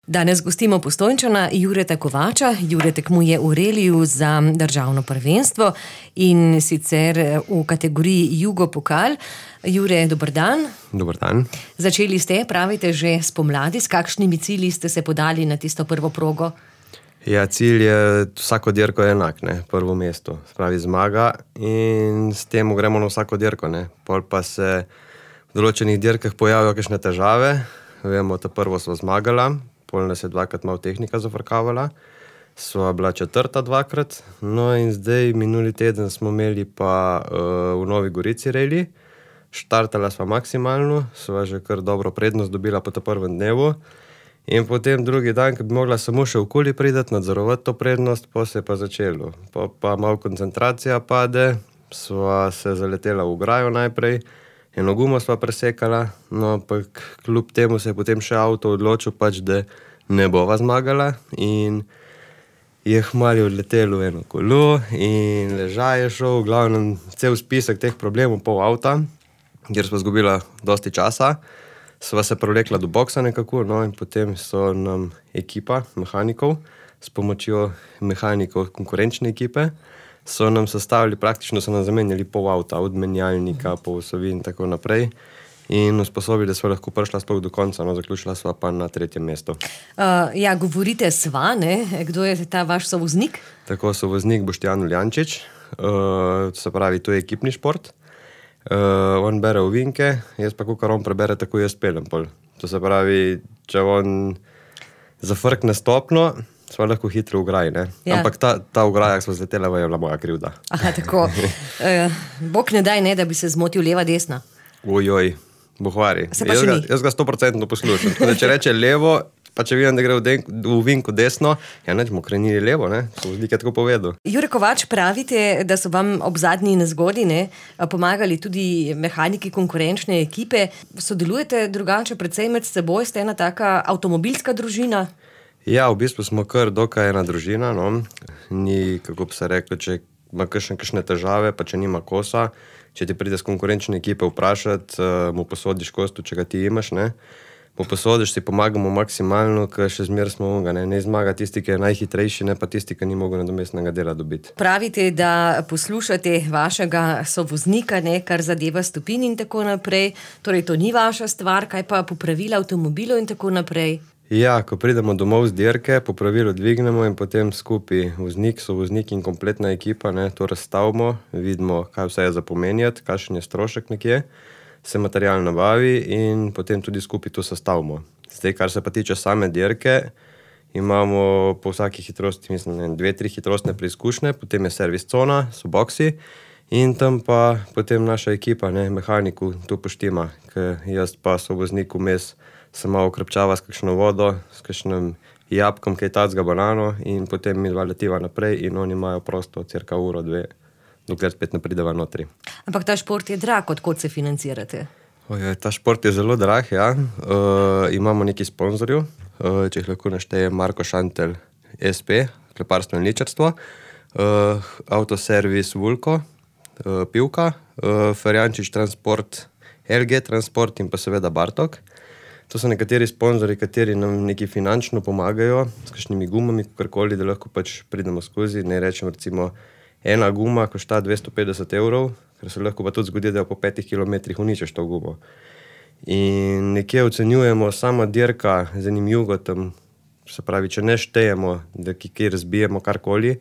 Danes gostimo Postojnčana Jureta Kovača. Jure tekmuje v reliju za državno prvenstvo in sicer v kategoriji Jugo Pokal. Jure, dober dan. Dober dan. Začeli ste, pravite, že spomladi. S kakšnimi cilji ste se podali na tisto prvo progo? Ja, cilj je vsako dirko enak, ne? Prvo mesto, spravi zmaga in s tem gremo na vsako dirko, ne? Pol pa se v določenih dirkah pojavijo kakšne težave. Vemo, ta prvo smo zmagala, pol nas je dvakrat malo tehnika zafrkavala, sva bila četrta dvakrat, no in zdaj minuli teden smo imeli pa v Novi Gorici reli, štartala sva maksimalno, sva že kar dobro prednost dobila po ta prvem dnevu in potem drugi dan, ko bi mogla samo še okoli prideti, nadzorovati to prednost, pa se je pa začelo. Pa malo koncentracija pade, sva se zaletela v ograjo najprej, eno gumo sva presekala, no pa kljub temu se je potem še avto odločil pač, da ne bova zmagala in je hmali odletelo eno kolo in ležaj je šel, v glavnem cel spisek teh problemov pol avta, kjer sva zgubila dosti časa. Sva se prevlekla do boksa nekako, no in potem so nam ekipa mehanikov s pomočjo mehanikov konkurenčne ekipe so nam sestavili, praktično so nam zamenjali pol avta, od menjalnika, pol osavi in tako naprej in usposobili, da sva lahko prišla sploh do konca, no zaključila sva pa na 3. mestu. Ja, govorite sva, ne? Kdo je ta vaš sovoznik? Tako, sovoznik Boštjan Uljančič, se pravi, to je ekipni šport. On bere ovinke, jaz pa kakor on prebere, tako jaz pelem pol. To se pravi, če on zafrkne stopno, sva lahko hitro v ograji, ne? Ja. Ampak ta ograja, ko sva zletela, je bila moja krivda. Aha, tako. Bog ne daj, ne, da bi se zmotil leva, desna. Ojoj, bohvari. Se pa še ni. Jaz ga 100% poslušam. Tako da če reče levo, pa če vidim, da gre v ovinku desno, ja neč mu krenili levo, ne? Sovoznik je tako povedal. Jure Kovač, pravite, da so vam ob zadnji nezgodi, ne, pomagali tudi mehaniki konkurenčne ekipe. Sodelujete drugače precej med seboj? Ste ena taka avtomobilska družina? Ja, v bistvu smo kar dokaj ena družina, no. Ni, kako bi se reklo, če ima kakšne težave, pa če nima kosa, če ti pride z konkurenčne ekipe vprašati, mu posodiš kostu, če ga ti imaš, ne. Mu posodiš, si pomagamo maksimalno, ker še zmer smo onga, ne zmaga tisti, ki je najhitrejši, ne pa tisti, ki ni mogel nadomestnega dela dobiti. Pravite, da poslušate vašega sovoznika, ne, kar zadeva stopinj in tako naprej. Torej, to ni vaša stvar, kaj pa popravila avtomobilov in tako naprej? Ja, ko pridemo domov z dirke, popravilo dvignemo in potem skupaj voznik, sovoznik in kompletna ekipa, ne, to razstavimo, vidimo, kaj vse je za pomenjati, kakšen je strošek nekje, se material nabavi in potem tudi skupaj to sestavimo. Zdaj, kar se pa tiče same dirke, imamo po vsaki hitrosti, mislim, 2-3 hitrostne preizkušnje, potem je servis cona, so boksi in tam pa potem naša ekipa, ne, mehaniku to poštima, ker jaz pa sovoznik vmes se malo okrepčava s kakšno vodo, s kakšnim jabkom, kaj tacga banano in potem mi dva letiva naprej in oni imajo prosto cirka uro, 2, dokler spet ne prideva notri. Ampak ta šport je drag, od kod se financirate? Ta šport je zelo drag, ja. Imamo nekaj sponzorjev, če jih lahko našteje Marko Šantel SP, kleparstvo in ličarstvo, Autoservis Vulko, Pivka, Ferjančič Transport, LG Transport in pa seveda Bartok. To so nekateri sponzorji, kateri nam nekaj finančno pomagajo, s kakšnimi gumami, kakorkoli, da lahko pač pridemo skozi. Ne rečem, recimo, ena guma košta 250 €, ker se lahko pa tudi zgodi, da po 5 kilometrih uničiš to gumo. In nekje ocenjujemo sama dirka z enim jugotom, se pravi, če ne štejemo, da kje razbijemo karkoli,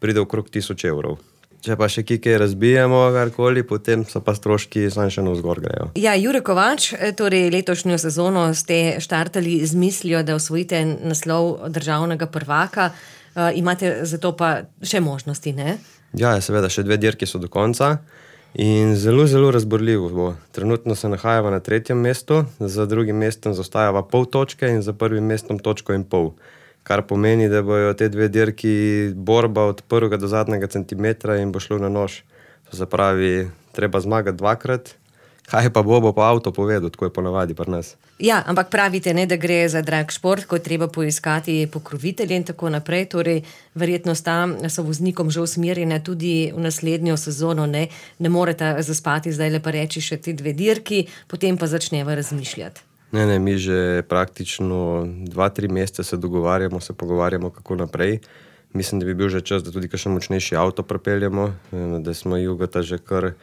pride okrog 1000 €. Če pa še kje razbijemo karkoli, potem so pa stroški samo še navzgor grejo. Ja, Jure Kovač, torej letošnjo sezono ste štartali z mislijo, da osvojite naslov državnega prvaka. Imate zato pa še možnosti, ne? Ja, seveda, še 2 dirki so do konca in zelo, zelo razborljivo bo. Trenutno se nahajava na 3. mestu, za drugim mestom zaostajava pol točke in za prvim mestom 1,5 točke. Kar pomeni, da bojo te 2 dirki borba od prvega do zadnjega centimetra in bo šlo na nož. To se pravi, treba zmagati 2-krat, kaj pa bo pa avto povedal, tako je ponavadi pri nas. Ja, ampak pravite, ne, da gre za drag šport, ko je treba poiskati pokrovitelje in tako naprej, torej verjetno sta sovoznikom že usmerjena tudi v naslednjo sezono, ne morete zaspati zdaj le pa reči še te 2 dirki, potem pa začneva razmišljati. Ne, mi že praktično 2-3 mesece se dogovarjamo, se pogovarjamo, kako naprej. Mislim, da bi bil že čas, da tudi kakšen močnejši avto pripeljemo, da smo Jugota že kar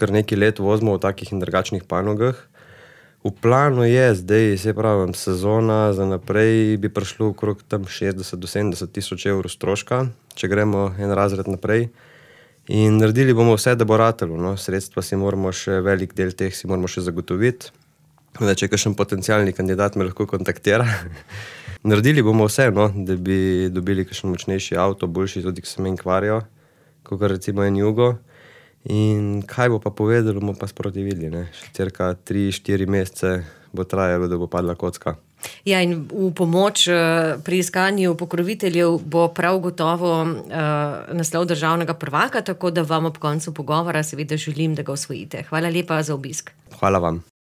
nekaj let vozimo v takih in drugačnih panogah. V planu je zdaj, se pravim, sezona za naprej bi prišlo okrog tam 60 do 70 tisoč evrov stroška, če gremo en razred naprej. In naredili bomo vse, da bo ratalo, no. Sredstva si moramo še, velik del teh si moramo še zagotoviti. Da če kakšen potencialni kandidat me lahko kontaktira. Naredili bomo vse, no, da bi dobili kakšen močnejši avto, boljši tudi, ki se meni kvarijo, kot recimo en Jugo. In kaj bo pa povedalo, bomo pa sproti videli, ne. Še cirka 3-4 mesece bo trajalo, da bo padla kocka. Ja, in v pomoč pri iskanju pokroviteljev bo prav gotovo naslov državnega prvaka, tako da vam ob koncu pogovora seveda želim, da ga osvojite. Hvala lepa za obisk. Hvala vam.